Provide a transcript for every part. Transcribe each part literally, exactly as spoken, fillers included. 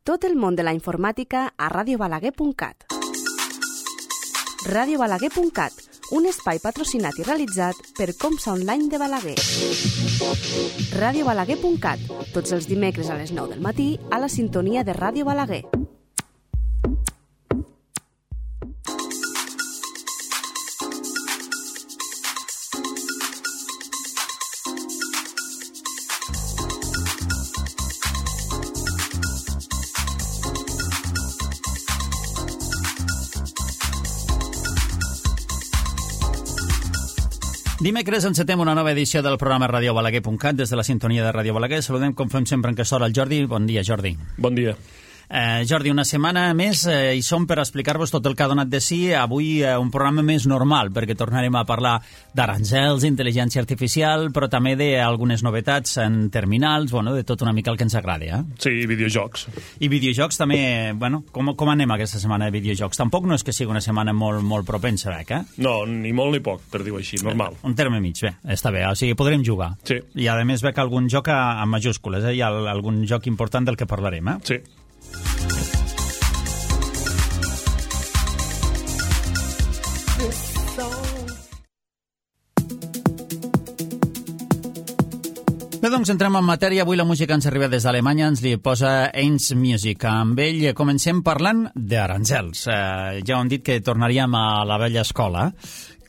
Tot el món de la informàtica a radio balaguer punt cat. radio balaguer punt cat, un espai patrocinat i realitzat per Comsa Online de Balaguer. radio balaguer punt cat, tots els dimecres a les nou del matí a la sintonia de Ràdio Balaguer. Dimecres encetem una nova edició del programa radio balaguer punt cat des de la sintonia de Ràdio Balaguer. Saludem, com fem sempre, en aquesta hora, el Jordi. Bon dia, Jordi. Bon dia. Eh, Jordi, una setmana més eh, hi som per explicar-vos tot el que ha donat de si. Avui eh, un programa més normal, perquè tornarem a parlar d'aranzels, intel·ligència artificial, però també d'algunes novetats en terminals, bueno, de tot una mica el que ens agrada. Eh? Sí, i videojocs. I videojocs també, bueno, com, com anem aquesta setmana de videojocs? Tampoc no és que sigui una setmana molt, molt propensa, eh? No, ni molt ni poc, per dir-ho així, normal. Un terme mig, bé, està bé, o sigui, podrem jugar. Sí. I a més veig algun joc a, a majúscules, eh? Hi ha algun joc important del que parlarem, eh? Sí. Bé, doncs entrem en matèria. Avui la música ens arriba des d'Alemanya, ens li posa Eins Music. Amb ell comencem parlant d'aranzels. Eh, ja ho hem dit que tornaríem a la vella escola.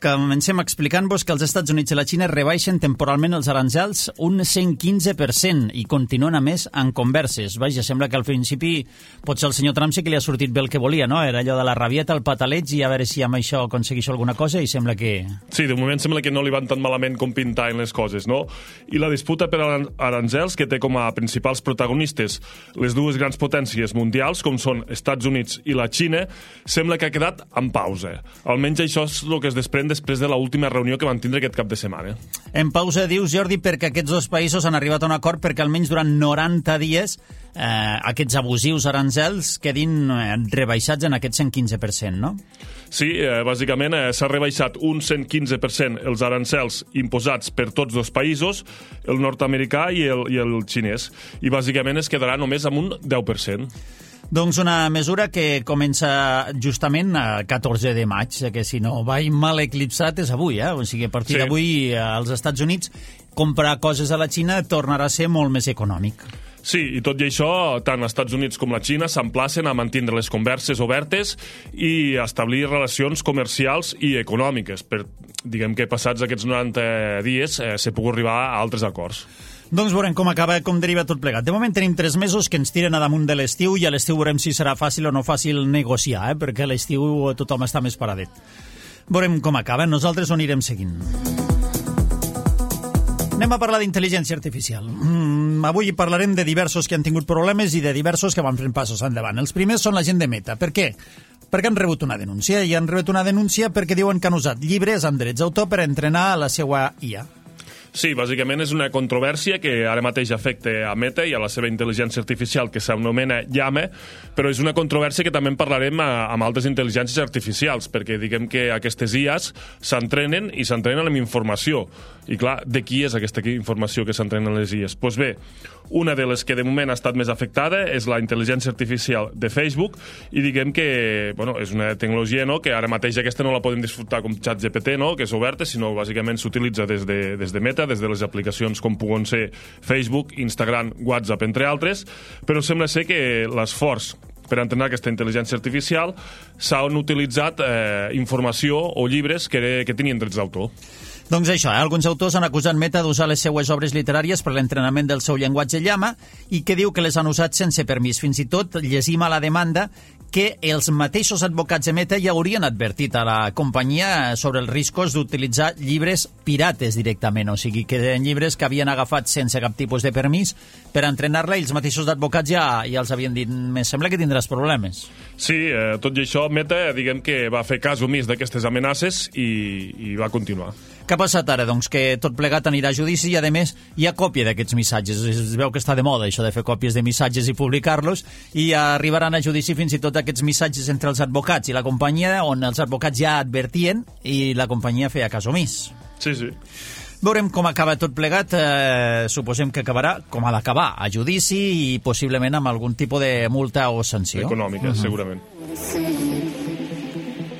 Comencem explicant-vos que els Estats Units i la Xina rebaixen temporalment els aranzels un cent quinze per cent i continuen, a més, en converses. Vaja, sembla que al principi potser el senyor Trump sí que li ha sortit bé el que volia, no? Era allò de la rabieta, el pataleig i a veure si amb això aconsegueixo alguna cosa i sembla que... Sí, de moment sembla que no li van tan malament com pintaven les coses, no? I la disputa per aranzels, que té com a principals protagonistes les dues grans potències mundials, com són Estats Units i la Xina, sembla que ha quedat en pausa. Almenys això és el que es desprèn després de l'última reunió que van tindre aquest cap de setmana. En pausa, dius, Jordi, perquè aquests dos països han arribat a un acord perquè almenys durant noranta dies eh, aquests abusius aranzels quedin eh, rebaixats en aquest cent quinze per cent, no? Sí, eh, bàsicament eh, s'ha rebaixat un cent quinze per cent els arancels imposats per tots dos països, el nord-americà i el, i el xinès, i bàsicament es quedarà només amb un deu per cent. Doncs una mesura que comença justament a catorze de maig, que si no va mal eclipsat és avui, eh? O sigui, a partir sí. d'avui als Estats Units comprar coses a la Xina tornarà a ser molt més econòmic. Sí, i tot i això, tant els Estats Units com la Xina s'emplacen a mantenir les converses obertes i a establir relacions comercials i econòmiques, per, diguem que passats aquests noranta dies eh, s'ha pogut arribar a altres acords. Doncs veurem com acaba, com deriva tot plegat. De moment tenim tres mesos que ens tiren a damunt de l'estiu i a l'estiu veurem si serà fàcil o no fàcil negociar, eh? Perquè a l'estiu tothom està més paradet. Veurem com acaba, nosaltres ho anirem seguint. Anem a parlar d'intel·ligència artificial. Mm, avui parlarem de diversos que han tingut problemes i de diversos que van fent passos endavant. Els primers són la gent de Meta. Per què? Perquè han rebut una denúncia, i han rebut una denúncia perquè diuen que han usat llibres amb drets d'autor per entrenar la seva I A. Sí, bàsicament és una controvèrsia que ara mateix afecta a Meta i a la seva intel·ligència artificial, que s'anomena Llama, però és una controvèrsia que també en parlarem a, amb altres intel·ligències artificials, perquè diguem que aquestes I As s'entrenen i s'entrenen amb informació. I clar, de qui és aquesta informació que s'entrenen les I As? Doncs bé, una de les que de moment ha estat més afectada és la intel·ligència artificial de Facebook, i diguem que bueno, és una tecnologia, no?, que ara mateix aquesta no la podem disfrutar com ChatGPT, no?, que és oberta, sinó bàsicament s'utilitza des de, des de Meta, des de les aplicacions com puguen ser Facebook, Instagram, WhatsApp, entre altres, però sembla ser que l'esforç per entrenar aquesta intel·ligència artificial s'han utilitzat eh, informació o llibres que, que tenien drets d'autor. Doncs això, eh? Alguns autors han acusat Meta d'usar les seues obres literàries per l'entrenament del seu llenguatge Llama i que diu que les han usat sense permís. Fins i tot llegim a la demanda que els mateixos advocats de Meta ja haurien advertit a la companyia sobre els riscos d'utilitzar llibres pirates directament, o sigui, que eren llibres que havien agafat sense cap tipus de permís per entrenar-la i els mateixos advocats ja, ja els havien dit, me sembla que tindràs problemes. Sí, eh, tot i això, Meta, diguem que va fer cas omís d'aquestes amenaces i, i va continuar. Què ha passat ara? Doncs que tot plegat anirà a judici i, a més, hi ha còpia d'aquests missatges. Es veu que està de moda, això de fer còpies de missatges i publicar-los, i arribaran a judici fins i tot aquests missatges entre els advocats i la companyia, on els advocats ja advertien i la companyia feia cas omís. Sí, sí. Veurem com acaba tot plegat. Eh, suposem que acabarà com ha d'acabar, a judici i possiblement amb algun tipus de multa o sanció. Econòmica, uh-huh. segurament.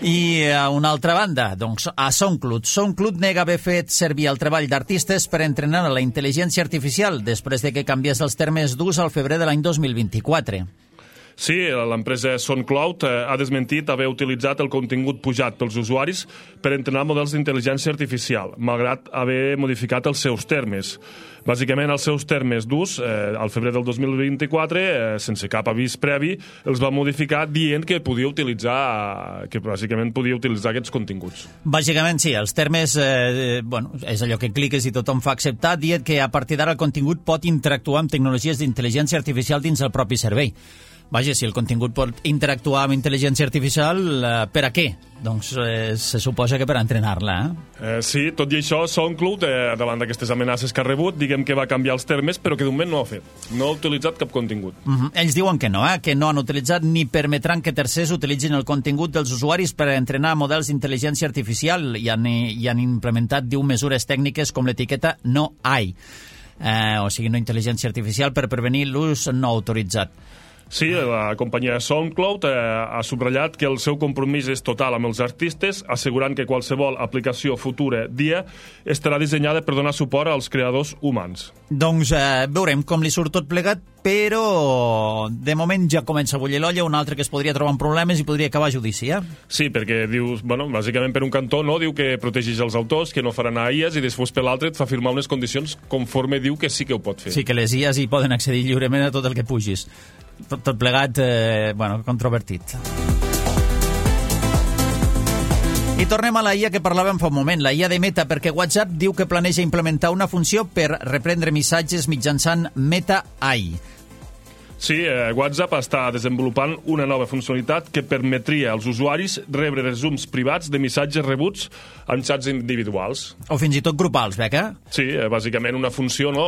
I a una altra banda, doncs, a SoundCloud. SoundCloud nega haver fet servir el treball d'artistes per entrenar la intel·ligència artificial després de que canviés els termes d'ús al febrer de l'any dos mil vint-i-quatre. Sí, l'empresa SoundCloud ha desmentit haver utilitzat el contingut pujat pels usuaris per entrenar models d'intel·ligència artificial, malgrat haver modificat els seus termes. Bàsicament, els seus termes d'ús, eh, al febrer del dos mil vint-i-quatre, eh, sense cap avís previ, els va modificar dient que podia utilitzar, que bàsicament podia utilitzar aquests continguts. Bàsicament, sí, els termes, eh, bueno, és allò que cliques i tothom fa acceptar, dient que a partir d'ara el contingut pot interactuar amb tecnologies d'intel·ligència artificial dins el propi servei. Vaja, si el contingut pot interactuar amb intel·ligència artificial, eh, per a què? Doncs eh, se suposa que per entrenar-la, eh? eh? Sí, tot i això, SoundCloud, eh, davant d'aquestes amenaces que ha rebut, diguem que va canviar els termes, però que d'un moment no ho ha fet. No ha utilitzat cap contingut. Uh-huh. Ells diuen que no, eh? que no han utilitzat ni permetran que tercers utilitzin el contingut dels usuaris per entrenar models d'intel·ligència artificial i han, i han implementat, diu, mesures tècniques com l'etiqueta no A I, eh, o sigui, no intel·ligència artificial, per prevenir l'ús no autoritzat. Sí, la companyia SoundCloud eh, ha subratllat que el seu compromís és total amb els artistes, assegurant que qualsevol aplicació futura dia estarà dissenyada per donar suport als creadors humans. Doncs eh, veurem com li surt tot plegat, però de moment ja comença a bullir l'olla, un altre que es podria trobar en problemes i podria acabar a judici, eh? Sí, perquè dius, bueno, bàsicament per un cantó, no, diu que protegeix els autors, que no faran a I As, i després per l'altre et fa firmar unes condicions conforme diu que sí que ho pot fer. Sí, que les I As hi poden accedir lliurement a tot el que pugis. Tot, tot plegat, eh, bueno, controvertit. I tornem a la I A que parlàvem fa un moment, la I A de Meta, perquè WhatsApp diu que planeja implementar una funció per reprendre missatges mitjançant Meta A I. Sí, eh, WhatsApp està desenvolupant una nova funcionalitat que permetria als usuaris rebre resums privats de missatges rebuts en xats individuals. O fins i tot grupals, Beca? Sí, eh, bàsicament una funció no,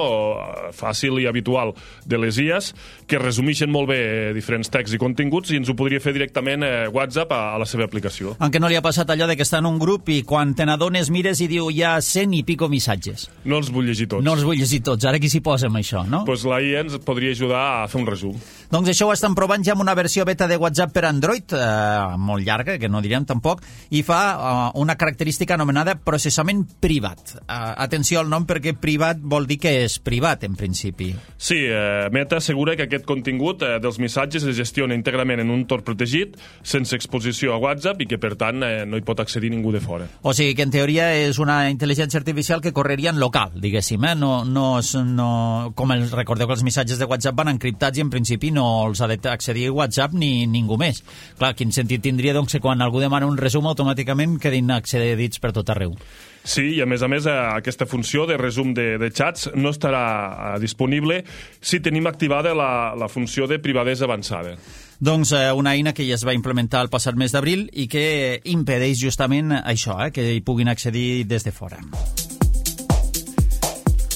fàcil i habitual de les I As que resumeixen molt bé eh, diferents texts i continguts i ens ho podria fer directament eh, WhatsApp a, a la seva aplicació. En què no li ha passat allò de que està en un grup i quan te n'adones mires i diu hi ha cent i pico missatges. No els vull llegir tots. No els vull llegir tots. Ara qui s'hi posa amb això, no? Doncs pues la I A ens podria ajudar a fer un resum. Doncs això ho estan provant ja amb una versió beta de WhatsApp per Android, eh, molt llarga, que no direm tampoc, i fa eh, una característica anomenada processament privat. Eh, atenció al nom perquè privat vol dir que és privat, en principi. Sí, eh, Meta assegura que aquest contingut eh, dels missatges es gestiona íntegrament en un entorn protegit, sense exposició a WhatsApp i que, per tant, eh, no hi pot accedir ningú de fora. O sigui que, en teoria, és una intel·ligència artificial que correria en local, diguéssim, eh? No, no, no, com el, recordeu que els missatges de WhatsApp van encriptats i, en principi, no els ha d'accedir a WhatsApp ni ningú més. Clar, quin sentit tindria, doncs, que quan algú demana un resum, automàticament quedin accedits per tot arreu. Sí, i a més a més aquesta funció de resum de, de xats no estarà disponible si tenim activada la, la funció de privadesa avançada. Doncs eh, una eina que ja es va implementar el passat mes d'abril i que impedeix justament això, eh, que hi puguin accedir des de fora.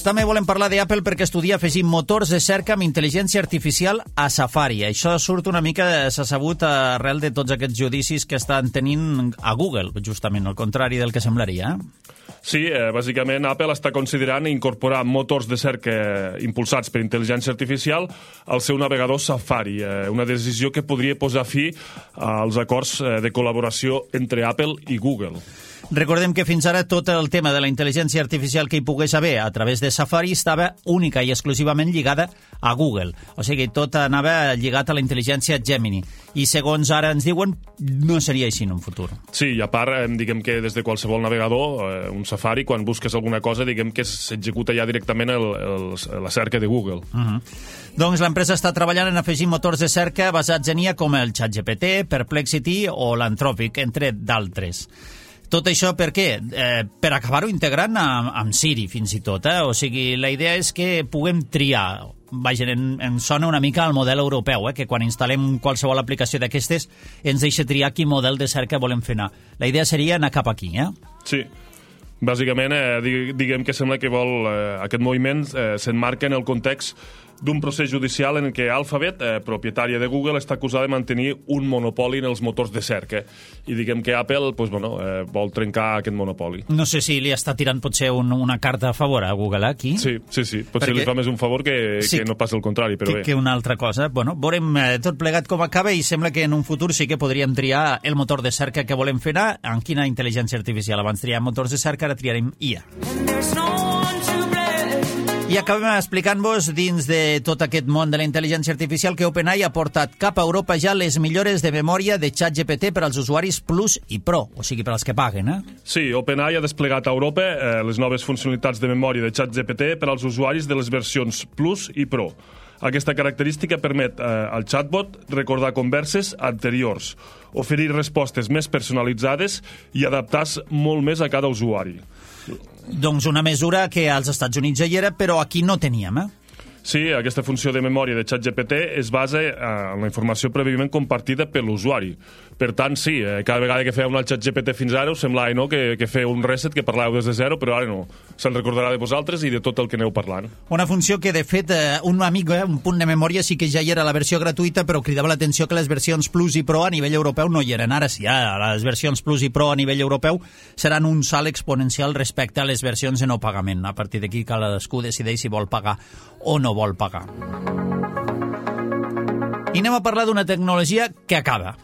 També volem parlar d'Apple perquè estudia afegir motors de cerca amb intel·ligència artificial a Safari. Això surt una mica, s'ha sabut, arrel de tots aquests judicis que estan tenint a Google, justament, al contrari del que semblaria. Sí, eh, bàsicament Apple està considerant incorporar motors de cerca impulsats per intel·ligència artificial al seu navegador Safari, eh, una decisió que podria posar fi als acords de col·laboració entre Apple i Google. Recordem que fins ara tot el tema de la intel·ligència artificial que hi pogués haver a través de Safari estava única i exclusivament lligada a Google. O sigui, tot anava lligat a la intel·ligència Gemini. I segons ara ens diuen, no seria així en un futur. Sí, i a part, diguem que des de qualsevol navegador, un Safari, quan busques alguna cosa, diguem que s'executa ja directament el, el, la cerca de Google. Uh-huh. Doncs l'empresa està treballant en afegir motors de cerca basats en I A com el ChatGPT, Perplexity o l'Anthropic, entre d'altres. Tot això per què? Eh, per acabar-ho integrant amb, amb Siri, fins i tot. Eh? O sigui, la idea és que puguem triar. Vaja, em, em sona una mica al model europeu, eh? Que quan instal·lem qualsevol aplicació d'aquestes ens deixa triar quin model de cerca volem fer anar. La idea seria anar cap aquí, eh? Sí. Bàsicament, eh, diguem que sembla que vol eh, aquest moviment eh, s'emmarca en el context d'un procés judicial en què Alphabet, eh, propietària de Google, està acusada de mantenir un monopoli en els motors de cerca. I diguem que Apple pues, bueno, eh, vol trencar aquest monopoli. No sé si li està tirant potser un, una carta a favor a Google aquí. Sí, sí, sí. Potser Perquè... li fa més un favor que, sí, que no passi el contrari, però que, bé. Que una altra cosa. Bueno, veurem eh, tot plegat com acaba i sembla que en un futur sí que podríem triar el motor de cerca que volem fer anar. En quina intel·ligència artificial? Abans triàvem motors de cerca, ara triarem I A. I acabem explicant-vos, dins de tot aquest món de la intel·ligència artificial, que OpenAI ha portat cap a Europa ja les millores de memòria de ChatGPT per als usuaris Plus i Pro, o sigui, per als que paguen, eh? Sí, OpenAI ha desplegat a Europa eh, les noves funcionalitats de memòria de ChatGPT per als usuaris de les versions Plus i Pro. Aquesta característica permet eh, al chatbot recordar converses anteriors, oferir respostes més personalitzades i adaptar-se molt més a cada usuari. Doncs una mesura que als Estats Units ja hi era, però aquí no teníem, eh? Sí, aquesta funció de memòria de ChatGPT es basa en la informació prèviament compartida per l'usuari. Per tant, sí, cada vegada que fèieu un ChatGPT fins ara us semblava no, que, que feu un reset, que parlàveu des de zero, però ara no. Se'n recordarà de vosaltres i de tot el que aneu parlant. Una funció que, de fet, un amic, eh, un punt de memòria sí que ja hi era la versió gratuïta, però cridava l'atenció que les versions Plus i Pro a nivell europeu no hi eren. Ara sí, ara les versions Plus i Pro a nivell europeu seran un salt exponencial respecte a les versions de no pagament. A partir d'aquí cadascú decideix si vol pagar o no vol pagar. I anem a parlar d'una tecnologia que acaba.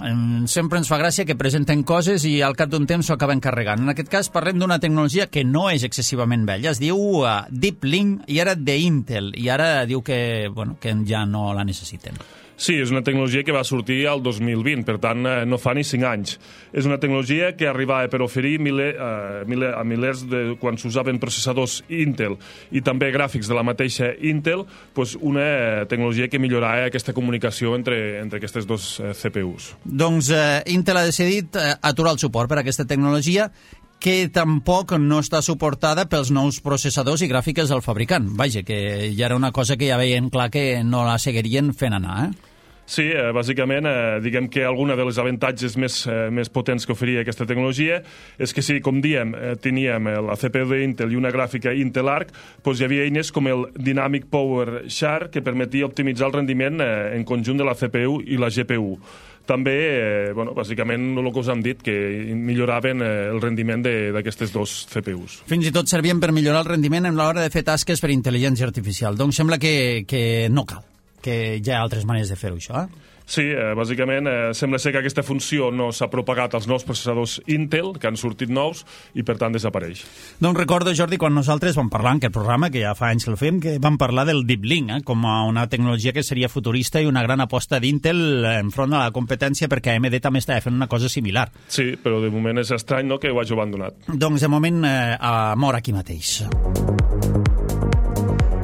Sempre ens fa gràcia que presenten coses i al cap d'un temps s'ho acaben carregant. En aquest cas parlem d'una tecnologia que no és excessivament vella. Es diu uh, Deep Link i ara d'Intel. I ara diu que, bueno, que ja no la necessiten. Sí, és una tecnologia que va sortir al dos mil vint, per tant, no fa ni cinc anys. És una tecnologia que arribava per oferir mile, uh, mile, a milers de... quan s'usaven processadors Intel i també gràfics de la mateixa Intel, pues una tecnologia que millorava aquesta comunicació entre, entre aquestes dos uh, C P Us. Doncs uh, Intel ha decidit uh, aturar el suport per a aquesta tecnologia que tampoc no està suportada pels nous processadors i gràfiques del fabricant. Vaja, que ja era una cosa que ja veien clar que no la seguirien fent anar, eh? Sí, eh, bàsicament, eh, diguem que alguna de les avantatges més, eh, més potents que oferia aquesta tecnologia és que si, com diem, eh, teníem la C P U d'Intel i una gràfica Intel Arc, doncs hi havia eines com el Dynamic Power Share que permetia optimitzar el rendiment eh, en conjunt de la C P U i la G P U. També, eh, bueno, bàsicament, el que us hem dit, que milloraven eh, el rendiment d'aquestes dos C P Us. Fins i tot servien per millorar el rendiment en l'hora de fer tasques per intel·ligència artificial. Doncs sembla que, que no cal, que hi ha altres maneres de fer-ho, això, eh? Sí, eh, bàsicament, eh, sembla ser que aquesta funció no s'ha propagat als nous processadors Intel, que han sortit nous, i per tant desapareix. Doncs recordo, Jordi, quan nosaltres vam parlar en aquest programa, que ja fa anys que el fem, que vam parlar del Deep Link, eh, com a una tecnologia que seria futurista i una gran aposta d'Intel enfront de la competència, perquè A M D també estava fent una cosa similar. Sí, però de moment és estrany, no?, que ho hagi abandonat. Doncs de moment eh, mor aquí mateix.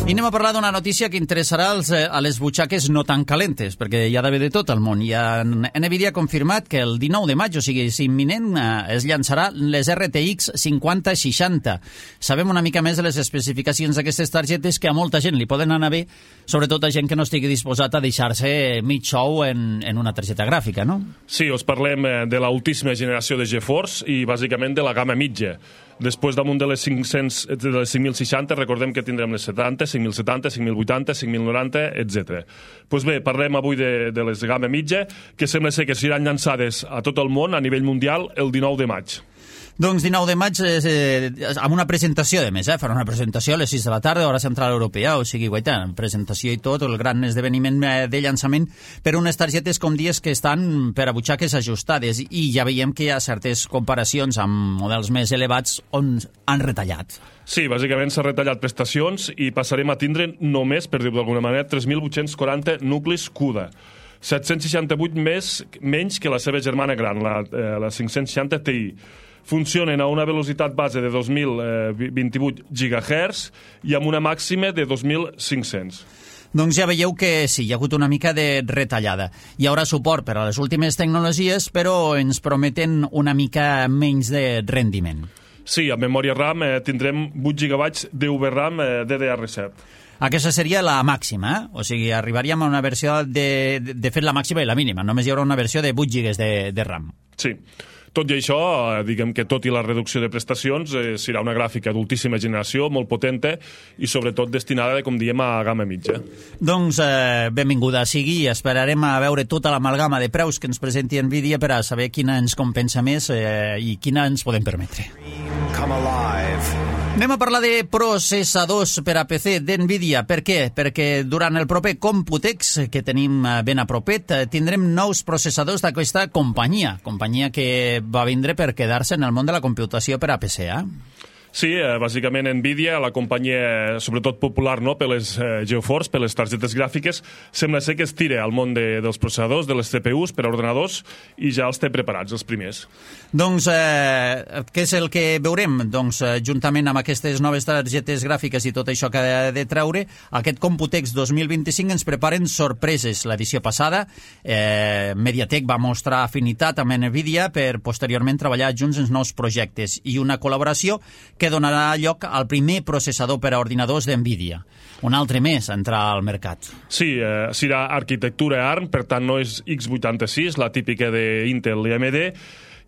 I anem a parlar d'una notícia que interessarà als, a les butxaques no tan calentes, perquè hi ha d'haver de tot al món. I NVIDIA ha confirmat que el dinou de maig, o sigui, és imminent, es llançarà les R T X cinquanta seixanta. Sabem una mica més de les especificacions d'aquestes targetes que a molta gent li poden anar bé, sobretot a gent que no estigui disposat a deixar-se mig xou en, en una targeta gràfica, no? Sí, us parlem de l'ultíssima generació de GeForce i bàsicament de la gamma mitja. Després, damunt de les, cinc-cents, de les cinc mil seixanta, recordem que tindrem les setanta, cinc mil setanta, cinc mil vuitanta, cinc mil noranta, etcètera. Doncs bé, parlem avui de, de les gamma mitja, que sembla ser que seran llançades a tot el món, a nivell mundial, el dinou de maig. Doncs dinou de maig, eh, amb una presentació, de més, eh? Farà una presentació a les sis de la tarda, hora central europea, o sigui, guaita, presentació i tot, el gran esdeveniment de llançament per unes targetes, com dies, que estan per a butxaques ajustades, i ja veiem que hi ha certes comparacions amb models més elevats on han retallat. Sí, bàsicament s'ha retallat prestacions i passarem a tindre només, per dir-ho d'alguna manera, tres mil vuit-cents quaranta nuclis CUDA. set-cents seixanta-vuit més, menys que la seva germana gran, la, eh, la cinc-cents seixanta Ti. Funcionen a una velocitat base de dos mil vint-i-vuit gigahertz i amb una màxima de dos mil cinc-cents. Doncs ja veieu que sí, hi ha hagut una mica de retallada. Hi haurà suport per a les últimes tecnologies, però ens prometen una mica menys de rendiment. Sí, amb memòria RAM eh, tindrem vuit gigabytes de V RAM eh, D D R set. Aquesta seria la màxima, eh? O sigui, arribaríem a una versió de, de, de fet la màxima i la mínima. Només hi haurà una versió de vuit gigas de, de RAM. Sí. Tot i això, eh, diguem que tot i la reducció de prestacions, eh, serà una gràfica d'ultíssima generació, molt potente i sobretot destinada, com diem, a gamma mitja. Doncs eh, benvinguda sigui, esperarem a veure tota l'amalgama de preus que ens presenti Nvidia per a saber quina ens compensa més eh, i quina ens podem permetre. Come alive. Anem a parlar de processadors per a P C d'Nvidia. Per què? Perquè durant el proper Computex, que tenim ben a propet, tindrem nous processadors d'aquesta companyia, companyia que va vindre per quedar-se en el món de la computació per a P C, eh? Sí, eh, bàsicament Nvidia, la companyia sobretot popular no, per les eh, GeForce, per les targetes gràfiques, sembla ser que es tira al món de, dels processadors, de les C P Us per a ordenadors, i ja els té preparats, els primers. Doncs eh, què és el que veurem? Doncs eh, juntament amb aquestes noves targetes gràfiques i tot això que ha de treure, aquest Computex dos mil vint-i-cinc ens preparen sorpreses. L'edició passada, eh, MediaTek va mostrar afinitat amb Nvidia per posteriorment treballar junts en nous projectes i una col·laboració que donarà lloc al primer processador per a ordinadors d'Nvidia. Un altre més a entrar al mercat. Sí, eh, serà arquitectura ARM, per tant no és x vuitanta-sis, la típica d'Intel i A M D,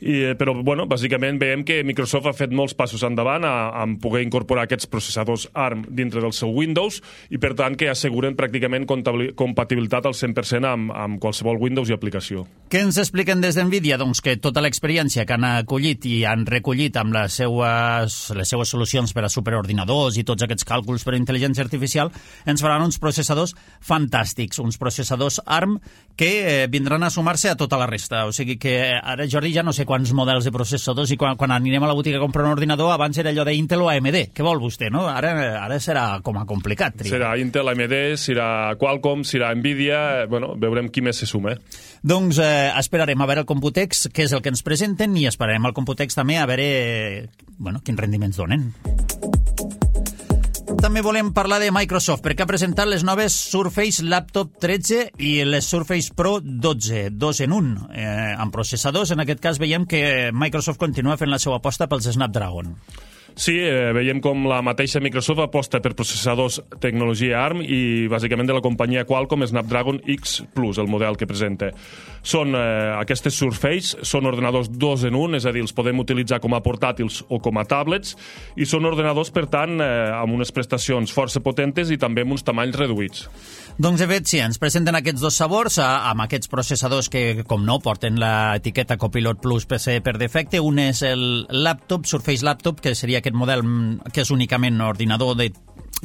I, però, bueno, bàsicament veiem que Microsoft ha fet molts passos endavant a, a poder incorporar aquests processadors ARM dintre del seu Windows i, per tant, que asseguren pràcticament compatibilitat al cent per cent amb, amb qualsevol Windows i aplicació. Què ens expliquen des d'Nvidia? Doncs que tota l'experiència que han acollit i han recollit amb les seues, les seues solucions per a superordinadors i tots aquests càlculs per a intel·ligència artificial ens faran uns processadors fantàstics, uns processadors ARM que eh, vindran a sumar-se a tota la resta. O sigui que ara, Jordi, ja no sé quants models de processadors i quan, quan anirem a la botiga a comprar un ordinador abans era allò d'Intel o A M D. Què vol vostè, no? Ara, ara serà com a complicat. Triar. Serà Intel, A M D, serà Qualcomm, serà Nvidia, bueno, veurem qui més se suma. Doncs eh, esperarem a veure el Computex, què és el que ens presenten, i esperarem al Computex també a veure eh, bueno, quins rendiments donen. També volem parlar de Microsoft, perquè ha presentat les noves Surface Laptop tretze i les Surface Pro dotze, dos en un. Eh, amb processadors, en aquest cas veiem que Microsoft continua fent la seva aposta pels Snapdragon. Sí, eh, veiem com la mateixa Microsoft aposta per processadors tecnologia ARM i bàsicament de la companyia Qualcomm Snapdragon X Plus, el model que presenta. Són eh, aquestes Surface, són ordenadors dos en un, és a dir, els podem utilitzar com a portàtils o com a tablets, i són ordenadors, per tant, eh, amb unes prestacions força potentes i també amb uns tamanys reduïts. Doncs, de fet, sí, ens presenten aquests dos sabors amb aquests processadors que, com no, porten l'etiqueta Copilot Plus P C per defecte. Un és el laptop, Surface Laptop, que seria aquest model que és únicament ordinador de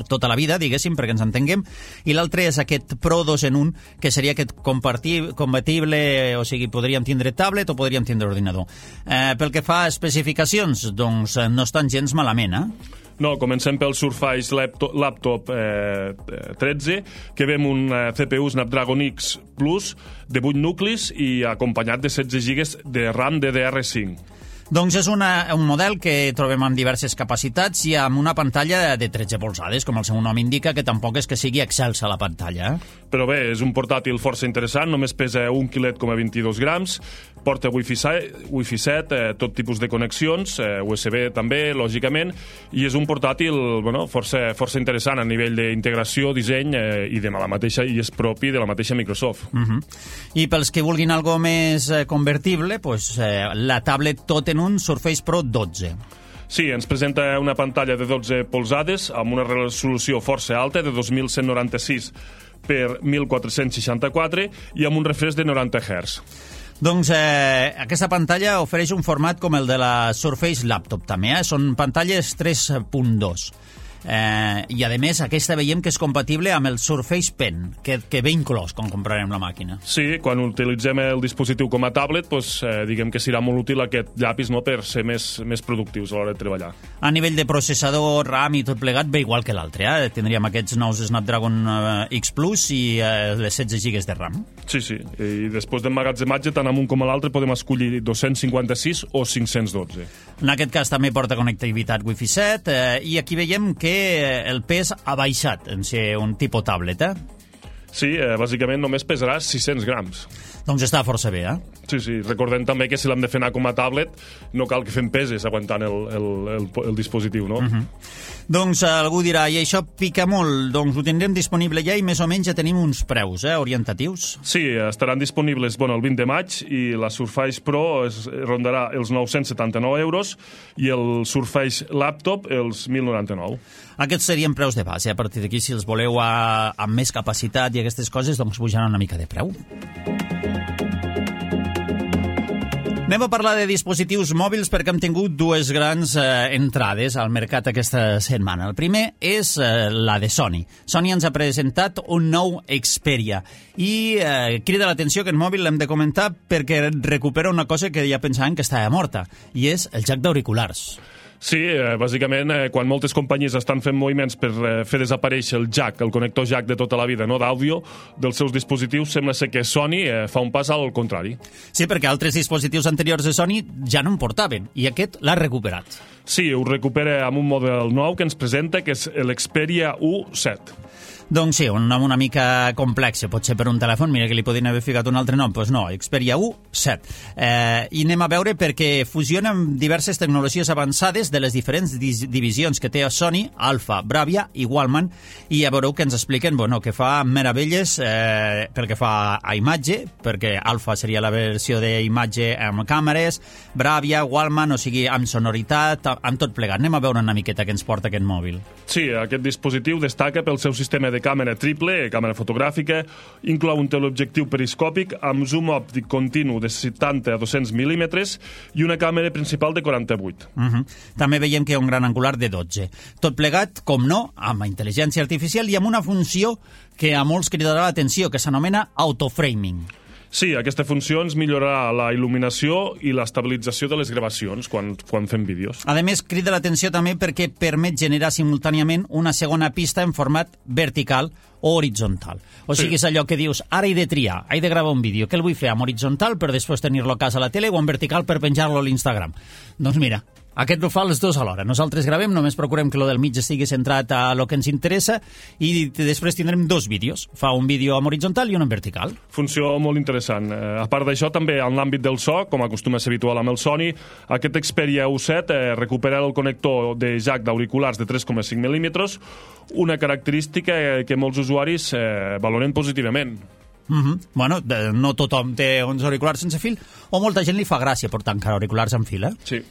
tota la vida, diguéssim, perquè ens entenguem, i l'altre és aquest Pro dos en un, que seria aquest compatible, o sigui, podríem tindre tablet o podríem tindre ordinador. Eh, pel que fa a especificacions, doncs no estan gens malament, eh? No, comencem pel Surface Laptop, laptop eh, tretze, que vem un eh, C P U Snapdragon X Plus de vuit nuclis i acompanyat de setze gigas de RAM D D R cinc. Doncs és una, un model que trobem amb diverses capacitats i amb una pantalla de tretze polzades, com el seu nom indica, que tampoc és que sigui excelsa la pantalla. Eh? Però bé, és un portàtil força interessant, només pesa un quilet coma vint-i-dos grams, porta Wi-Fi set, eh, tot tipus de connexions, eh, U S B també, lògicament, i és un portàtil bueno, força, força interessant a nivell d'integració, disseny eh, i de la mateixa, i és propi de la mateixa Microsoft. Uh-huh. I pels que vulguin algo més eh, convertible, pues, eh, la tablet tot en un Surface Pro dotze. Sí, ens presenta una pantalla de dotze polzades amb una resolució força alta de dos mil cent noranta-sis per mil quatre-cents seixanta-quatre i amb un refresc de noranta hertz. Doncs eh, aquesta pantalla ofereix un format com el de la Surface Laptop també, eh? Són pantalles tres punt dos. Eh, i a més aquesta veiem que és compatible amb el Surface Pen, que, que ve inclòs quan comprarem la màquina. Sí, quan utilitzem el dispositiu com a tablet, doncs, eh, diguem que serà molt útil aquest llapis, no?, per ser més, més productius a l'hora de treballar. A nivell de processador, RAM i tot plegat ve igual que l'altre, eh? Tindríem aquests nous Snapdragon eh, X Plus i eh, les setze gigas de RAM. Sí, sí, i després d'emmagatzematge tant amb un com a l'altre podem escollir dos-cents cinquanta-sis o cinc-cents dotze. En aquest cas també porta connectivitat Wi-Fi set eh, i aquí veiem que el pes ha baixat en ser un tipus tablet, eh? Sí, eh, bàsicament només pesarà sis-cents grams. Doncs està força bé, eh? Sí, sí. Recordem també que si l'hem de fer anar com a tablet, no cal que fem peses aguantant el, el, el, el dispositiu, no? Uh-huh. Doncs algú dirà, i això pica molt, doncs ho tindrem disponible ja i més o menys ja tenim uns preus, eh, orientatius? Sí, estaran disponibles bueno, el vint de maig i la Surface Pro es rondarà els nou-cents setanta-nou euros i el Surface Laptop els mil noranta-nou. Aquests serien preus de base. A partir d'aquí, si els voleu a, amb més capacitat i aquestes coses, doncs pujaran una mica de preu. Anem a parlar de dispositius mòbils perquè hem tingut dues grans eh, entrades al mercat aquesta setmana. El primer és eh, la de Sony. Sony ens ha presentat un nou Xperia i eh, crida l'atenció que el mòbil l'hem de comentar perquè recupera una cosa que ja pensàvem que estava morta, i és el jack d'auriculars. Sí, eh, bàsicament, eh, quan moltes companyies estan fent moviments per eh, fer desaparèixer el jack, el connector jack de tota la vida, no d'àudio, dels seus dispositius, sembla ser que Sony eh, fa un pas al contrari. Sí, perquè altres dispositius anteriors de Sony ja no en portaven, i aquest l'ha recuperat. Sí, ho recupera amb un model nou que ens presenta, que és l'Xperia U set. Doncs sí, un nom una mica complex, potser per un telèfon, mira que li podien haver ficat un altre nom, doncs no, Xperia U set. Eh, I anem a veure perquè fusiona amb diverses tecnologies avançades de les diferents divisions que té a Sony, Alpha, Bravia i Wallman, i ja veureu que ens expliquen bueno, que fa meravelles eh, pel que fa a imatge, perquè Alpha seria la versió d'imatge amb càmeres, Bravia, Wallman, o sigui, amb sonoritat, amb tot plegat. Anem a veure una miqueta què ens porta aquest mòbil. Sí, aquest dispositiu destaca pel seu sistema de càmera triple, càmera fotogràfica, inclou un teleobjectiu periscòpic amb zoom òptic continu de setanta a dos-cents mil·límetres i una càmera principal de quaranta-vuit. Uh-huh. També veiem que hi ha un gran angular de dotze. Tot plegat, com no, amb intel·ligència artificial i amb una funció que a molts cridarà l'atenció, que s'anomena autoframing. Sí, aquesta funció ens millorarà la il·luminació i l'estabilització de les gravacions quan, quan fem vídeos. A més, crida l'atenció també perquè permet generar simultàniament una segona pista en format vertical o horitzontal. O sigui, sí. És allò que dius, ara he de triar, he de gravar un vídeo, què el vull fer, amb horitzontal per després tenir-lo a casa a la tele o en vertical per penjar-lo a l'Instagram? Doncs mira, aquest ho fa els dos alhora. Nosaltres gravem, només procurem que lo del mig estigui centrat a lo que ens interessa i després tindrem dos vídeos. Fa un vídeo en horitzontal i un en vertical. Funció molt interessant. Eh, a part d'això, també en l'àmbit del so, com acostuma a ser habitual amb el Sony, aquest Xperia U set eh, recupera el connector de jack d'auriculars de tres coma cinc mil·límetres, una característica que molts usuaris eh, valoren positivament. Uh-huh. Bueno, de, no tothom té uns auriculars sense fil, o molta gent li fa gràcia portar encara auriculars amb fil, eh? Sí.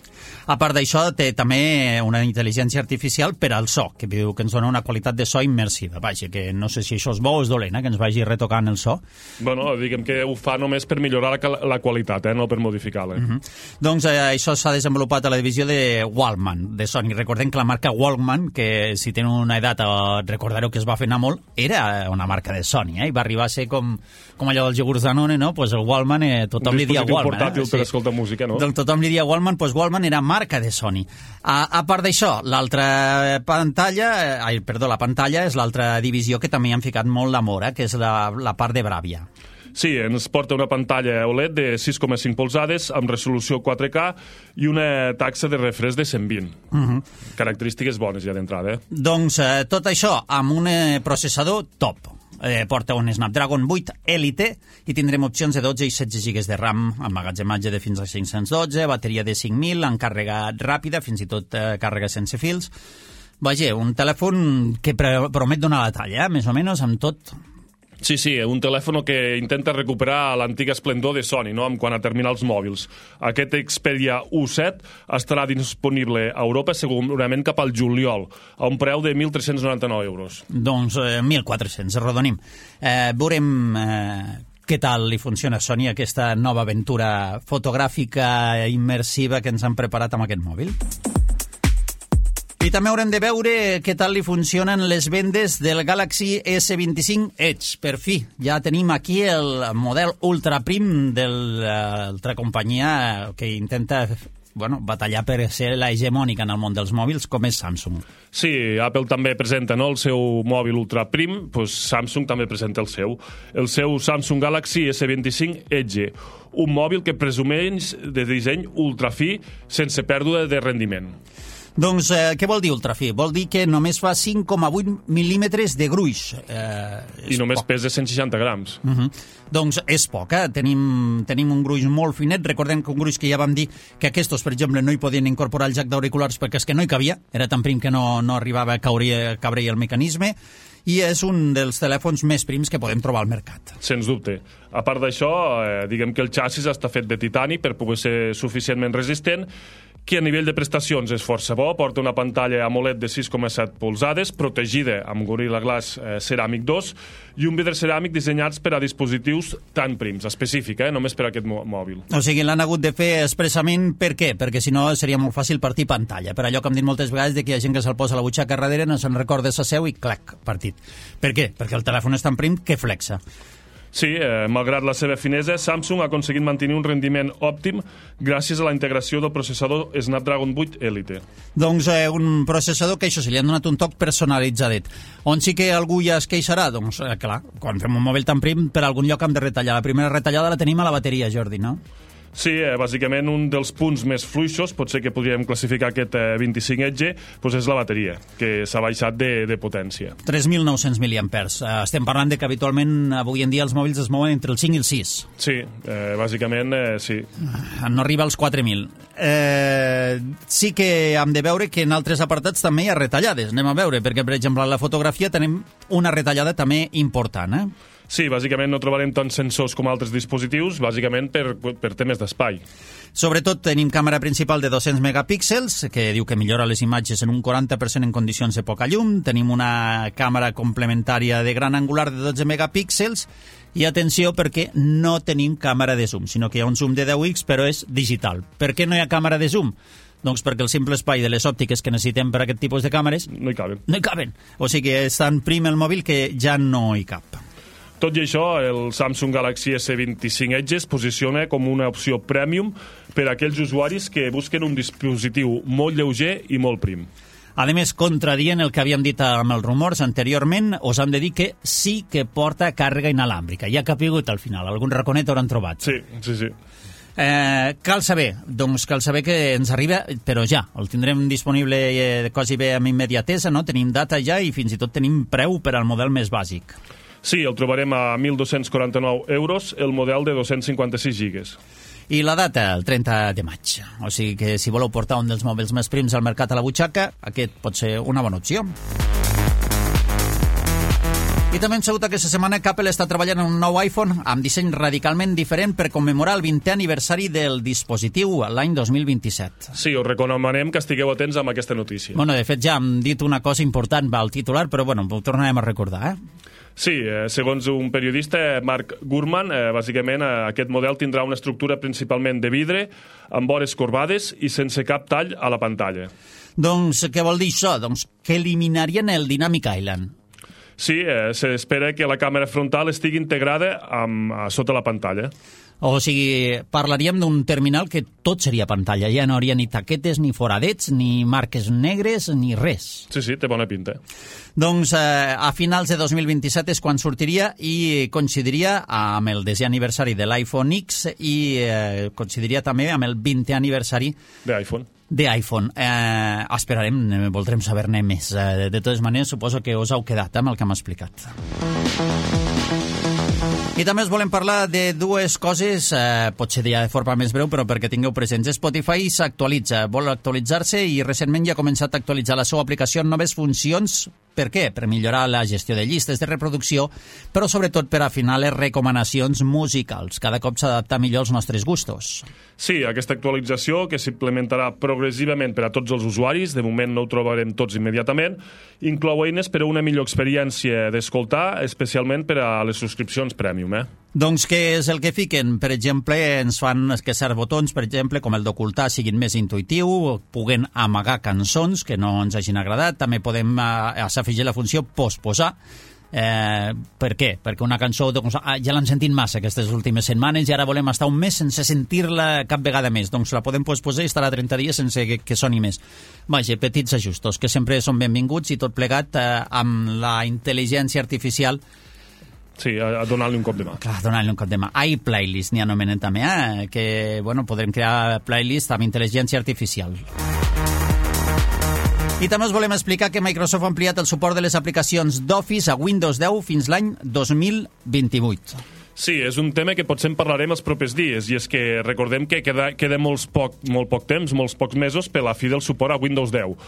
A part d'això, té també una intel·ligència artificial per al so, que diu que ens dona una qualitat de so immersiva. Vaja, que no sé si això és bo o és dolent, eh? Que ens vagi retocant el so. Bueno, diguem que ho fa només per millorar la, la qualitat, eh? No per modificar-la. Uh-huh. Doncs eh, això s'ha desenvolupat a la divisió de Wallman, de Sony. Recordem que la marca Wallman, que si tenen una edat eh, recordareu que es va fer anar molt, era una marca de Sony, eh? I va arribar a ser com, com allò dels iogurts Danone, no? Pues el Wallman, eh, tothom li dia Wallman. Un portàtil eh? per sí. escoltar música, no? Doncs tothom li dia Wallman, pues Wallman era marca de Sony. A, a part d'això, l'altra pantalla, eh, ai, perdó, la pantalla és l'altra divisió que també han ficat molt d'amor, eh, que és la, la part de Bravia. Sí, ens porta una pantalla O L E D de sis coma cinc polzades amb resolució quatre K i una taxa de refresc de cent vint. Uh-huh. Característiques bones ja d'entrada. Eh? Doncs eh, tot això amb un eh, processador top. Eh, porta un Snapdragon vuit Elite i tindrem opcions de dotze i setze gigas de RAM, emmagatzematge de fins a cinc-cents dotze, bateria de cinc mil, amb càrrega ràpida, fins i tot eh, càrrega sense fils. Vaja, un telèfon que promet donar la talla, eh? Més o menys amb tot. Sí, sí, un telèfon que intenta recuperar l'antiga esplendor de Sony, no?, en quant a terminals mòbils. Aquest Xperia U set estarà disponible a Europa segurament cap al juliol, a un preu de mil tres-cents noranta-nou euros. Doncs eh, mil quatre-cents, arrodonim. Eh, veurem eh, què tal li funciona a Sony aquesta nova aventura fotogràfica immersiva que ens han preparat amb aquest mòbil. I també haurem de veure què tal li funcionen les vendes del Galaxy S vint-i-cinc Edge. Per fi, ja tenim aquí el model ultra prim de l'altra companyia que intenta bueno, batallar per ser la hegemònica en el món dels mòbils, com és Samsung. Sí, Apple també presenta, no?, el seu mòbil ultra prim, doncs Samsung també presenta el seu. El seu Samsung Galaxy S vint-i-cinc Edge, un mòbil que presumeix de disseny ultra fi sense pèrdua de rendiment. Doncs eh, què vol dir ultrafi? Vol dir que només fa cinc coma vuit mil·límetres de gruix. Eh, I només poc. pesa cent seixanta grams. Uh -huh. Doncs és poc, eh? Tenim, tenim un gruix molt finet. Recordem que un gruix que ja vam dir que aquests, per exemple, no hi podien incorporar el jack d'auriculars perquè és que no hi cabia, era tan prim que no, no arribava a caure, caure el mecanisme, i és un dels telèfons més prims que podem trobar al mercat. Sens dubte. A part d'això, eh, diguem que el xassis està fet de titani per poder ser suficientment resistent, que a nivell de prestacions és força bo, porta una pantalla AMOLED de sis coma set polzades, protegida amb Gorilla Glass eh, Ceramic dos, i un vidre ceràmic dissenyats per a dispositius tan prims, específic, eh, només per a aquest mòbil. O sigui, l'han hagut de fer expressament per què? Perquè si no seria molt fàcil partir pantalla. Per allò que hem dit moltes vegades de que hi ha gent que se'l posa a la butxaca darrere, no se'n recorda sa seu i clac, partit. Per què? Perquè el telèfon és tan prim que flexa. Sí, eh, malgrat la seva finesa, Samsung ha aconseguit mantenir un rendiment òptim gràcies a la integració del processador Snapdragon vuit Elite. Doncs eh, un processador que això se li han donat un toc personalitzadet. On sí que algú ja es queixarà? Doncs eh, clar, quan fem un mòbil tan prim, per algun lloc hem de retallar. La primera retallada la tenim a la bateria, Jordi, no? Sí, eh, bàsicament un dels punts més fluixos, potser que podríem classificar aquest eh, vint-i-cinc edge, doncs és la bateria, que s'ha baixat de, de potència. tres mil nou-cents miliampers. Eh, estem parlant de que habitualment avui en dia els mòbils es mouen entre el cinc i el sis. Sí, eh, bàsicament eh, sí. No arriba als quatre mil. Eh, sí que hem de veure que en altres apartats també hi ha retallades. Anem a veure, perquè per exemple en la fotografia tenim una retallada també important, eh? Sí, bàsicament no trobarem tants sensors com altres dispositius, bàsicament per, per temes d'espai. Sobretot tenim càmera principal de dos-cents megapíxels, que diu que millora les imatges en un quaranta per cent en condicions de poca llum. Tenim una càmera complementària de gran angular de dotze megapíxels, i atenció perquè no tenim càmera de zoom, sinó que hi ha un zoom de deu x, però és digital. Per què no hi ha càmera de zoom? Doncs perquè el simple espai de les òptiques que necessitem per a aquest tipus de càmeres no hi caben. No hi caben. O sigui que és tan prim el mòbil que ja no hi cap. Tot i això, el Samsung Galaxy S vint-i-cinc Edge es posiciona com una opció premium per a aquells usuaris que busquen un dispositiu molt lleuger i molt prim. A més, contradient el que havíem dit amb els rumors anteriorment, us hem de dir que sí que porta càrrega inalàmbrica. Ja ha capigut al final, algun raconet hauran trobat. Sí, sí, sí. Eh, cal saber, doncs cal saber que ens arriba, però ja, el tindrem disponible eh, quasi bé amb immediatesa, no? Tenim data ja i fins i tot tenim preu per al model més bàsic. Sí, el trobarem a mil dos-cents quaranta-nou euros, el model de dos-cents cinquanta-sis gigas. I la data, el trenta de maig. O sigui que si voleu portar un dels mòbils més prims al mercat a la butxaca, aquest pot ser una bona opció. I també hem sabut aquesta setmana que Apple està treballant en un nou iPhone amb disseny radicalment diferent per commemorar el vintè aniversari del dispositiu l'any dos mil vint-i-set. Sí, us recomanem que estigueu atents amb aquesta notícia. Bueno, de fet ja hem dit una cosa important al titular, però bueno, ho tornarem a recordar, eh? Sí, eh, segons un periodista, Mark Gurman, eh, bàsicament eh, aquest model tindrà una estructura principalment de vidre, amb vores corbades i sense cap tall a la pantalla. Doncs què vol dir això? Doncs que eliminarien el Dynamic Island. Sí, eh, s'espera que la càmera frontal estigui integrada amb, a sota la pantalla. O sigui, parlaríem d'un terminal que tot seria pantalla. Ja no hauria ni taquetes, ni foradets, ni marques negres, ni res. Sí, sí, té bona pinta. Doncs eh, a finals de dos mil vint-i-set és quan sortiria i coincidiria amb el desè aniversari de l'iPhone X i eh, coincidiria també amb el vintè aniversari d'iPhone. d'iPhone. Eh, esperarem, voldrem saber-ne més. Eh, de totes maneres, suposo que us heu quedat amb el que m'ha explicat. I també us volem parlar de dues coses, eh, potser ja de forma més breu, però perquè tingueu presents. Spotify s'actualitza, vol actualitzar-se i recentment ja ha començat a actualitzar la seva aplicació amb noves funcions. Per què? Per millorar la gestió de llistes de reproducció, però sobretot per afinar les recomanacions musicals. Cada cop s'adapta millor als nostres gustos. Sí, aquesta actualització, que s'implementarà progressivament per a tots els usuaris, de moment no ho trobarem tots immediatament, inclou eines per a una millor experiència d'escoltar, especialment per a les subscripcions Premium. Eh? Doncs què és el que fiquen? Per exemple, ens fan que certs botons, per exemple, com el d'ocultar, siguin més intuïtiu, puguen amagar cançons que no ens hagin agradat. També podem eh, s'afegir la funció posposar. Eh, per què? Perquè una cançó doncs, ah, ja l'hem sentit massa aquestes últimes setmanes i ara volem estar un mes sense sentir-la cap vegada més, doncs la podem posposar i estarà trenta dies sense que, que soni més. Vaja, petits ajustos que sempre són benvinguts i tot plegat eh, amb la intel·ligència artificial. Sí, a, a donar-li un cop de mà. Clar, donar-li un cop de mà. iPlaylist n'hi anomenen també, eh? Que bueno, podrem crear playlist amb intel·ligència artificial. I també us volem explicar que Microsoft ha ampliat el suport de les aplicacions d'Office a Windows deu fins l'any dos mil vint-i-vuit. Sí, és un tema que potser en parlarem els propers dies, i és que recordem que queda, queda molts poc, molt poc temps, molts pocs mesos, per la fi del suport a Windows deu.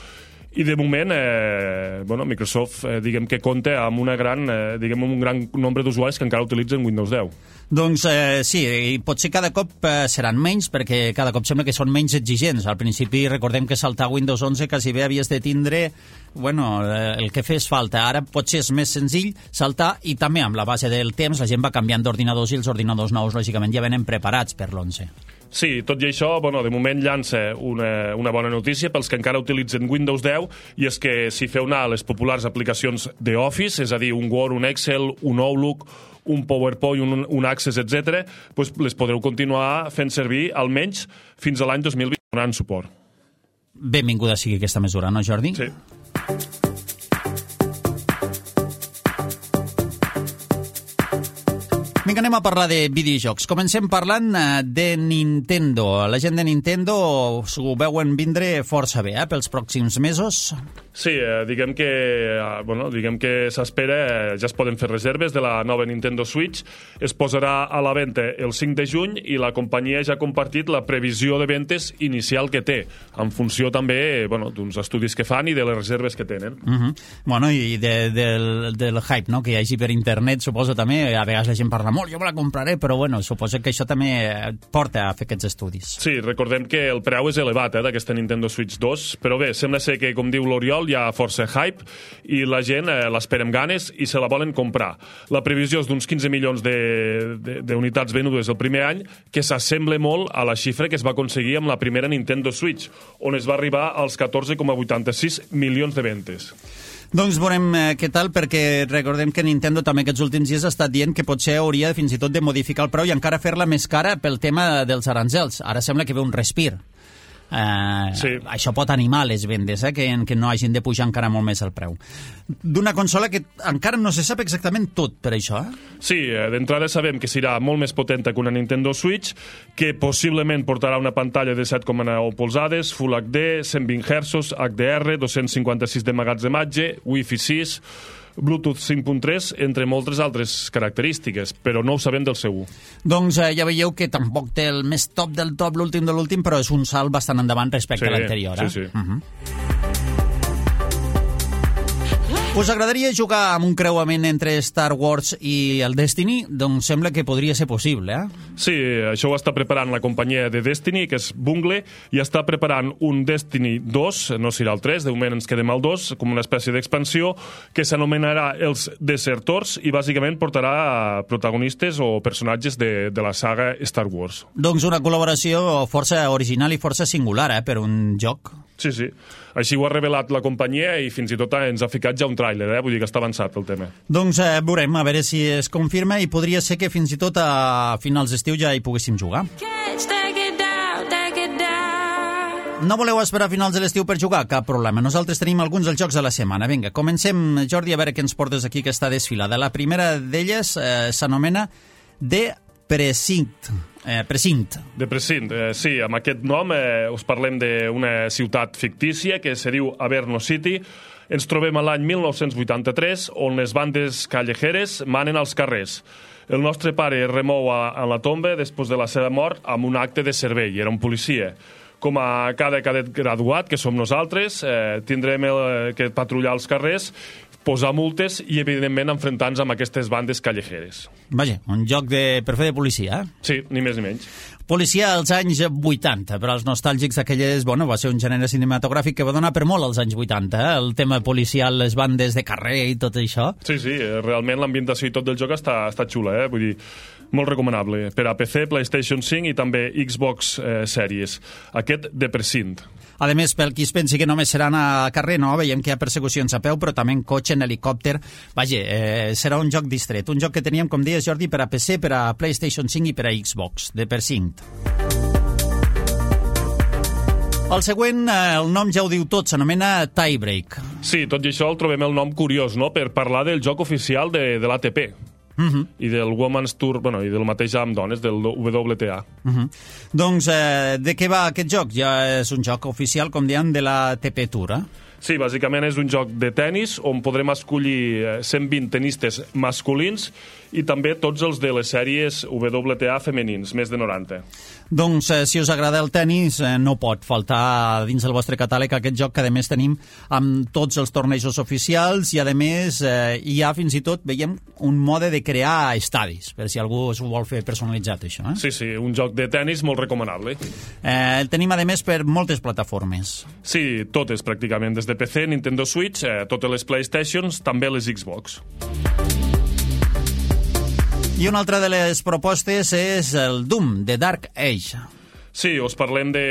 I de moment, eh, bueno, Microsoft, eh, diguem que compta amb una gran, eh, diguem, un gran nombre d'usuaris que encara utilitzen Windows deu. Doncs eh, sí, i potser cada cop eh, seran menys, perquè cada cop sembla que són menys exigents. Al principi recordem que saltar Windows onze quasi bé havies de tindre, bueno, eh, el que fes falta. Ara potser és més senzill saltar, i també amb la base del temps la gent va canviant d'ordinadors, i els ordinadors nous lògicament ja venen preparats per l'onze. Sí, tot i això, bueno, de moment llança una, una bona notícia pels que encara utilitzen Windows deu, i és que si feu anar les populars aplicacions d'Office, és a dir, un Word, un Excel, un Outlook, un PowerPoint, un, un Access, etcètera, doncs les podreu continuar fent servir almenys fins a l'any dos mil vint, donant suport. Benvinguda sigui aquesta mesura, no, Jordi? Sí. Vinga, anem a parlar de videojocs. Comencem parlant de Nintendo. La gent de Nintendo s'ho veuen vindre força bé, eh, pels pròxims mesos. Sí, eh, diguem que, eh, bueno, diguem que s'espera, eh, ja es poden fer reserves de la nova Nintendo Switch. Es posarà a la venda el cinc de juny, i la companyia ja ha compartit la previsió de ventes inicial que té, en funció també, bueno, d'uns estudis que fan i de les reserves que tenen. Uh -huh. Bueno, i de, del, del hype, no?, que hi hagi per internet, suposo també, a vegades la gent parla molt, jo me la compraré, però bueno, suposo que això també porta a fer aquests estudis. Sí, recordem que el preu és elevat, eh, d'aquesta Nintendo Switch dos, però bé, sembla ser que, com diu l'Oriol, hi ha força hype, i la gent eh, l'espera amb ganes i se la volen comprar. La previsió és d'uns quinze milions d'unitats venudes el primer any, que s'assembla molt a la xifra que es va aconseguir amb la primera Nintendo Switch, on es va arribar als catorze coma vuitanta-sis milions de ventes. Doncs veurem eh, què tal, perquè recordem que Nintendo també aquests últims dies ha estat dient que potser hauria fins i tot de modificar el preu i encara fer-la més cara pel tema dels aranzels. Ara sembla que ve un respir. Uh, sí. Això pot animar les vendes, eh? que, que no hagin de pujar encara molt més el preu d'una consola que encara no se sap exactament tot per això, eh? Sí, d'entrada sabem que serà molt més potenta que una Nintendo Switch, que possiblement portarà una pantalla de set coma nou polzades, Full H D, cent vint hertzos, H D R, dos-cents cinquanta-sis de magatzematge, Wi-Fi sis, Bluetooth cinc punt tres, entre moltes altres característiques, però no ho sabem del seu. Doncs eh, ja veieu que tampoc té el més top del top, l'últim de l'últim, però és un salt bastant endavant respecte sí, a l'anterior. Eh? Sí, sí. Uh-huh. Us agradaria jugar amb un creuament entre Star Wars i el Destiny? Doncs sembla que podria ser possible, eh? Sí, això ho està preparant la companyia de Destiny, que és Bungle, i està preparant un Destiny dos, no serà el tres, de moment ens quedem al dos, com una espècie d'expansió, que s'anomenarà els Desertors, i bàsicament portarà protagonistes o personatges de, de la saga Star Wars. Doncs una col·laboració força original i força singular, eh, per un joc. Sí, sí. Així ho ha revelat la companyia i fins i tot ens ha ficat ja un tràiler, eh? Vull dir que està avançat el tema. Doncs eh, veurem, a veure si es confirma, i podria ser que fins i tot a finals d'estiu ja hi poguéssim jugar. No voleu esperar a finals de l'estiu per jugar? Cap problema. Nosaltres tenim alguns dels jocs de la setmana. Vinga, comencem, Jordi, a veure què ens portes aquí, que està desfilada. La primera d'elles eh, s'anomena The Precinct. Eh, Precint. De Precint, eh, sí, amb aquest nom eh, us parlem d'una ciutat fictícia que se diu Averno City. Ens trobem a l'any mil nou-cents vuitanta-tres, on les bandes callejeres manen als carrers. El nostre pare es remou a, a la tomba després de la seva mort amb un acte de servei, era un policia. Com a cada cadet graduat, que som nosaltres, eh, tindrem el, que patrullar els carrers, posar multes i, evidentment, enfrontar-nos amb aquestes bandes callejeres. Vaja, un joc de, per fer de policia, eh? Sí, ni més ni menys. Policia als anys vuitanta, per als nostàlgics d'aquelles, bueno, va ser un gènere cinematogràfic que va donar per molt als anys vuitanta, eh? El tema policial, les bandes de carrer i tot això. Sí, sí, realment l'ambientació i tot del joc està, està xula, eh? Vull dir, molt recomanable per a P C, PlayStation cinc i també Xbox eh, Series. Aquest de Precint. A més, pel qui es pensi que només seran a carrer, no? Veiem que hi ha persecucions a peu, però també en cotxe, en helicòpter. Vaja, eh, serà un joc distret. Un joc que teníem, com deies, Jordi, per a P C, per a PlayStation cinc i per a Xbox, de Precint. El següent, el nom ja ho diu tot, s'anomena Tiebreak. Sí, tot i això el trobem el nom curiós, no?, per parlar del joc oficial de, de l'A T P. Uh-huh. I del Women's Tour, bueno, i del mateix amb dones, del W T A. Uh-huh. Doncs, eh, de què va aquest joc? Ja és un joc oficial, com diem, de la T P Tour, eh? Sí, bàsicament és un joc de tennis on podrem escollir cent vint tenistes masculins i també tots els de les sèries W T A femenins, més de noranta. Doncs, eh, si us agrada el tennis, eh, no pot faltar dins del vostre catàleg aquest joc que, a més, tenim amb tots els tornejos oficials i, a més, eh, hi ha fins i tot, veiem, un mode de crear estadis, per si algú s'ho vol fer personalitzat, això. Eh? Sí, sí, un joc de tennis molt recomanable. Eh, el tenim, a més, per moltes plataformes. Sí, totes, pràcticament, des de P C, Nintendo Switch, eh, totes les PlayStations, també les Xbox. I una altra de les propostes és el Doom, de Dark Age. Sí, us parlem de,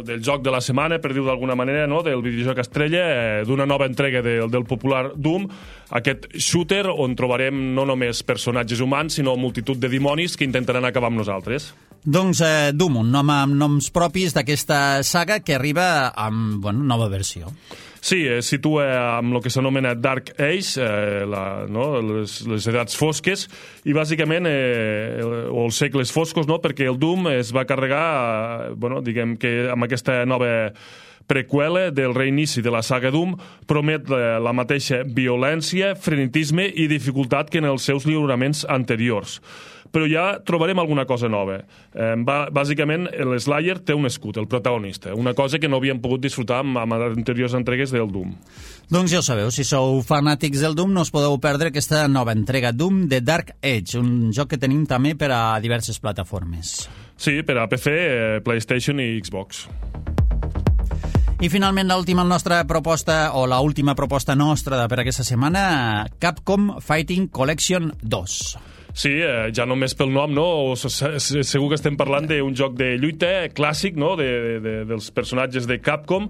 del joc de la setmana, per dir-ho d'alguna manera, no? Del videojoc estrella, eh, d'una nova entrega de, del popular Doom, aquest shooter on trobarem no només personatges humans, sinó multitud de dimonis que intentaran acabar amb nosaltres. Doncs eh, Doom, un nom amb noms propis d'aquesta saga que arriba amb, bueno, nova versió. Sí, es situa amb el que s'anomena Dark Age, eh, la, no? les, les edats fosques, i bàsicament, eh, o els segles foscos, no? Perquè el Doom es va carregar, eh, bueno, diguem que amb aquesta nova preqüela del reinici de la saga Doom, promet la, la mateixa violència, frenetisme i dificultat que en els seus lliuraments anteriors. Però ja trobarem alguna cosa nova. Eh, va, bàsicament, l'Slayer té un escut, el protagonista, una cosa que no havíem pogut disfrutar amb, amb les anteriors entregues del Doom. Doncs ja ho sabeu, si sou fanàtics del Doom no us podeu perdre aquesta nova entrega Doom de Dark Age, un joc que tenim també per a diverses plataformes. Sí, per a P C, eh, PlayStation i Xbox. I finalment l'última nostra proposta, o l'última proposta nostra per aquesta setmana, Capcom Fighting Collection dos. Sí, eh, ja només pel nom, no? O segur que estem parlant d'un joc de lluita clàssic, no? De, de, de, dels personatges de Capcom,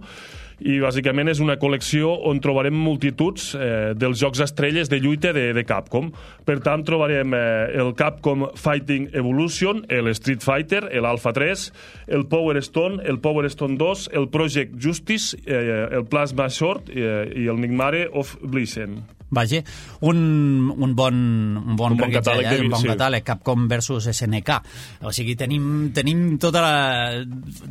i bàsicament és una col·lecció on trobarem multituds eh, dels jocs estrelles de lluita de, de Capcom. Per tant, trobarem eh, el Capcom Fighting Evolution, el Street Fighter, l'Alpha tres, el Power Stone, el Power Stone dos, el Project Justice, eh, el Plasma Sword eh, i el Nightmare of Blitzen. Vaja, un, un bon, un bon, un bon catàleg, eh? de, un bon sí. catàleg, Capcom versus S N K. O sigui, tenim, tenim tota la...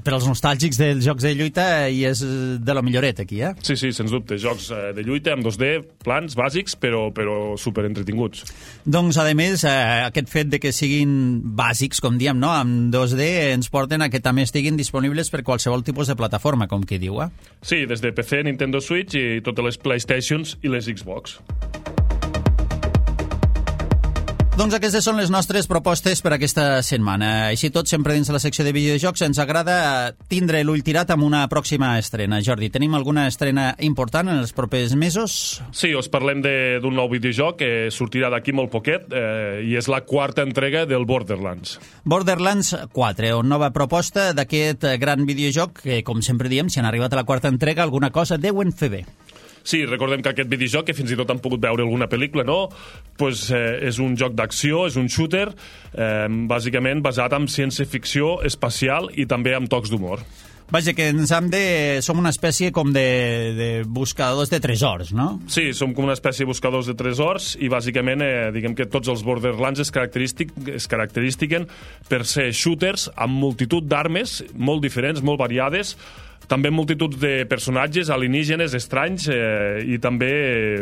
Per als nostàlgics dels jocs de lluita i és de lo milloret aquí, eh? Sí, sí, sens dubte. Jocs de lluita amb dos D, plans bàsics, però, però super entretinguts. Doncs, a més, eh, aquest fet de que siguin bàsics, com diem, no? Amb dos D ens porten a que també estiguin disponibles per qualsevol tipus de plataforma, com qui diu, eh? Sí, des de P C, Nintendo Switch i totes les PlayStations i les Xbox. Doncs aquestes són les nostres propostes per aquesta setmana. Així tot, sempre dins de la secció de videojocs, ens agrada tindre l'ull tirat amb una pròxima estrena. Jordi, tenim alguna estrena important en els propers mesos? Sí, us parlem d'un nou videojoc que sortirà d'aquí molt poquet eh, i és la quarta entrega del Borderlands. Borderlands quatre, una nova proposta d'aquest gran videojoc que, com sempre diem, si han arribat a la quarta entrega, alguna cosa deuen fer bé. Sí, recordem que aquest videojoc, que fins i tot han pogut veure alguna pel·lícula, no? Pues, eh, és un joc d'acció, és un shooter, eh, bàsicament basat en ciència-ficció espacial i també amb tocs d'humor. Vaja, que ens hem de... Som una espècie com de, de buscadors de tresors, no? Sí, som com una espècie de buscadors de tresors i bàsicament, eh, diguem que tots els Borderlands es, característic, es caracteristiquen per ser shooters amb multitud d'armes molt diferents, molt variades, també multitud de personatges alienígenes estranys eh, i també,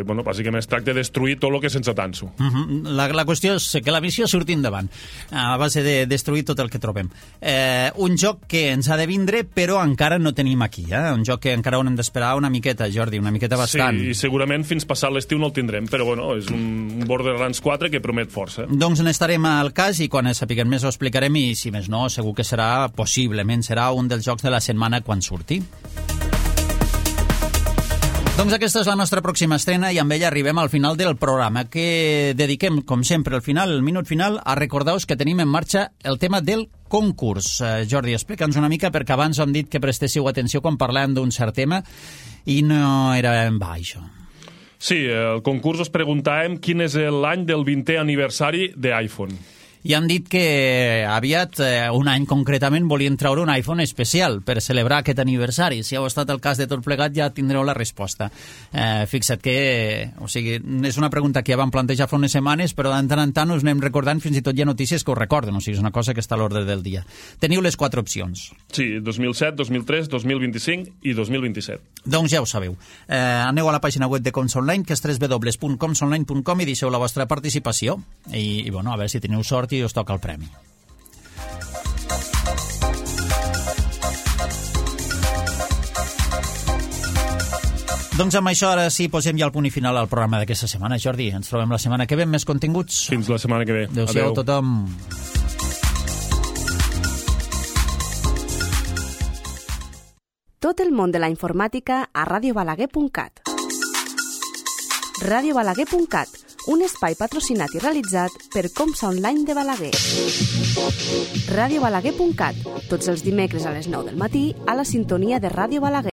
eh, bueno, bàsicament es tracta de destruir tot el que sense tanso. Uh -huh. la, la qüestió és que la missió surti endavant, a base de destruir tot el que trobem. Eh, un joc que ens ha de vindre, però encara no tenim aquí, eh? Un joc que encara haurem d'esperar una miqueta, Jordi, una miqueta bastant. Sí, i segurament fins passat l'estiu no el tindrem, però bueno, és un Borderlands quatre que promet força. Doncs n'estarem al cas i quan sapiguem més ho explicarem i, si més no, segur que serà, possiblement, serà un dels jocs de la setmana quan surti. Doncs aquesta és la nostra pròxima estrena i amb ella arribem al final del programa, que dediquem, com sempre, al final, el minut final, a recordar-vos que tenim en marxa el tema del concurs. Eh, Jordi, explica'ns una mica, perquè abans hem dit que prestéssiu atenció quan parlàvem d'un cert tema i no era en va, això. Sí, el concurs us preguntàvem quin és l'any del vintè aniversari d'iPhone. I han dit que aviat, eh, un any concretament, volien treure un iPhone especial per celebrar aquest aniversari. Si heu estat al cas de tot plegat, ja tindreu la resposta. Eh, fixa't que, o sigui, és una pregunta que ja vam plantejar fa unes setmanes, però de tant en tant us anem recordant, fins i tot hi ha notícies que ho recorden, o sigui, és una cosa que està a l'ordre del dia. Teniu les quatre opcions. Sí, dos mil set, dos mil tres, dos mil vint-i-cinc i dos mil vint-i-set. Doncs ja ho sabeu. Eh, aneu a la pàgina web de Coms Online, que és w w w punt coms online punt com, i deixeu la vostra participació. I, i bueno, a veure si teniu sort i us toca el premi. Doncs amb això ara sí posem ja el punt i final al programa d'aquesta setmana. Jordi, ens trobem la setmana que ve amb més continguts. Fins la setmana que ve. Adéu-siau a tothom. Tot el món de la informàtica a ràdio balaguer punt cat. ràdio balaguer punt cat, un espai patrocinat i realitzat per Comsa Online de Balaguer. ràdio balaguer punt cat, tots els dimecres a les nou del matí a la sintonia de Ràdio Balaguer.